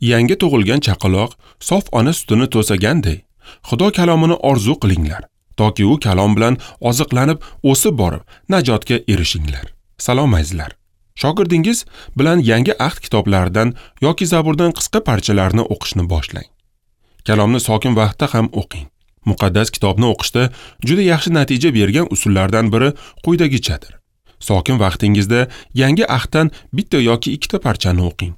Yangi tug'ilgan chaqaloq sof ona sutini to'saganday, Xudo kalomini orzu qilinglar, toki u kalom bilan oziqlanib o'sib borib, najotga erishinglar. Salom azizlar. Shogirdingiz bilan yangi ahd kitoblaridan yoki Zaburdan qisqa parchalarni o'qishni boshlang. Kalomni sokin vaqtda ham o'qing. Muqaddas kitobni o'qishda juda yaxshi natija bergan usullardan biri quyidagichadir. Sokin vaqtingizda yangi ahddan bitta yoki ikkita parchani o'qing.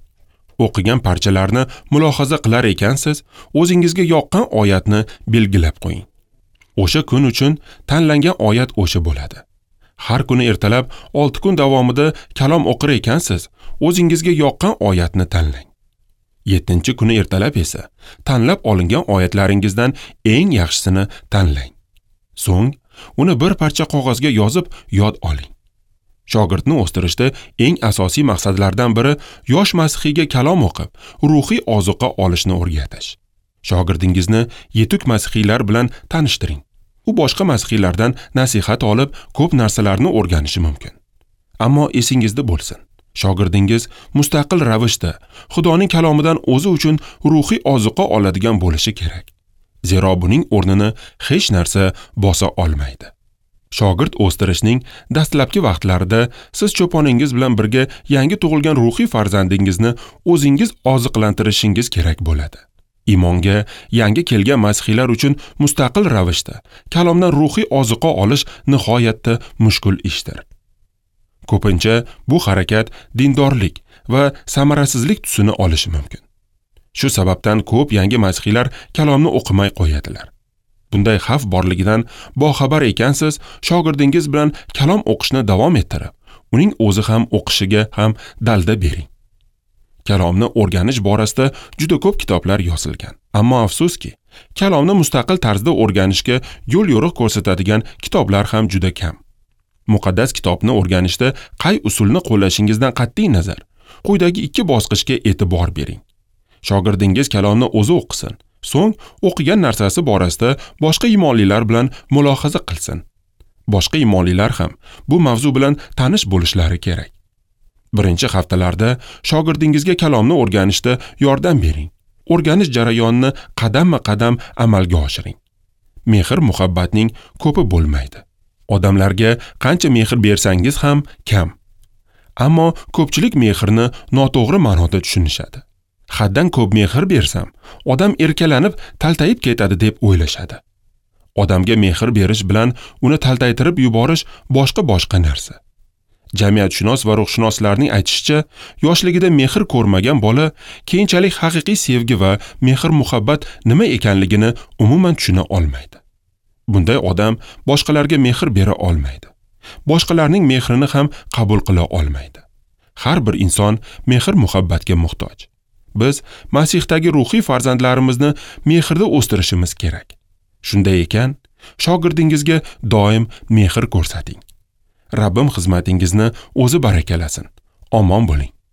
O'qigan parchalarni mulohaza qilar ekansiz, o'zingizga yoqqan oyatni belgilab qo'ying. O'sha kun uchun tanlangan oyat o'sha bo'ladi. Har kuni ertalab 6 kun davomida kalom o'qir ekansiz, o'zingizga yoqqan oyatni tanlang. 7-kuni ertalab esa tanlab olingan oyatlaringizdan eng yaxshisini tanlang. So'ng uni bir parcha qog'ozga yozib yod oling. Shogirdni o'stirishda eng asosiy maqsadlardan biri yosh masihiyga kalom o'qib, ruhiy ozuqa olishni o'rgatish. Shogirdingizni yetuk masihiylar bilan tanishtiring. U boshqa masihiylardan nasihat olib, ko'p narsalarni o'rganishi mumkin. Ammo esingizda bo'lsin, shogirdingiz mustaqil ravishda Xudoning kalomidan o'zi uchun ruhiy ozuqa oladigan bo'lishi kerak. Zero buning o'rnini hech narsa bosa olmaydi. Shogird o'stirishning dastlabki vaqtlarida siz cho'poningiz bilan birga yangi tug'ilgan ruhiy farzandingizni o'zingiz oziqlantirishingiz kerak bo'ladi. Iymonga yangi kelgan masihiylar uchun mustaqil ravishda kalomdan ruhiy ozuqa olish nihoyatda mushkul ishdir. Ko'pincha bu harakat dindorlik va samarasizlik tusini olishi mumkin. Shu sababdan ko'p yangi masihiylar kalomni o'qimay qo'yadilar. Bunday xavf borligidan boxabar ekansiz, shogirdingiz bilan kalom o'qishni davom ettirib, uning o'zi ham o'qishiga ham dalda bering. Kalomni o'rganish borasida juda ko'p kitoblar yozilgan. Ammo afsuski, kalomni mustaqil tarzda o'rganishga yo'l-yo'riq ko'rsatadigan kitoblar ham juda kam. Muqaddas kitobni o'rganishda qay usulni qo'llashingizdan qat'iy nazar, quyidagi 2 bosqichga e'tibor bering. Shogirdingiz kalomni o'zi o'qisin, so'ng o'qigan narsasi borasida boshqa iymonlilar bilan mulohaza qilsin. Boshqa iymonlilar ham bu mavzu bilan tanish bo'lishlari kerak. Birinchi haftalarda shogirdingizga kalomni o'rganishda yordam bering. O'rganish jarayonini qadamma-qadam amalga oshiring. Mehr-muhabbatning ko'pi bo'lmaydi. Odamlarga qancha mehr bersangiz ham kam. Ammo ko'pchilik mehrni noto'g'ri ma'noda tushunishadi. Haddan ko'p mehr bersam, odam erkalanib, taltayib ketadi deb o'ylashadi. Odamga mehr berish bilan uni taltaytirib yuborish boshqa narsa. Jamiyatshunos va ruhshunoslarning aytishicha, yoshligida mehr ko'rmagan bola keyinchalik haqiqiy sevgi va mehr-muhabbat nima ekanligini umuman tushuna olmaydi. Bunday odam boshqalarga mehr bera olmaydi. Boshqalarning mehrini ham qabul qila olmaydi. Har bir inson mehr-muhabbatga muhtoj. Biz Masihdagi ruhiy farzandlarimizni mehrda o'stirishimiz kerak. Shunday ekan, shogirdingizga doim mehr ko'rsating. Rabbim xizmatingizni o'zi barakalasin. Omon bo'ling.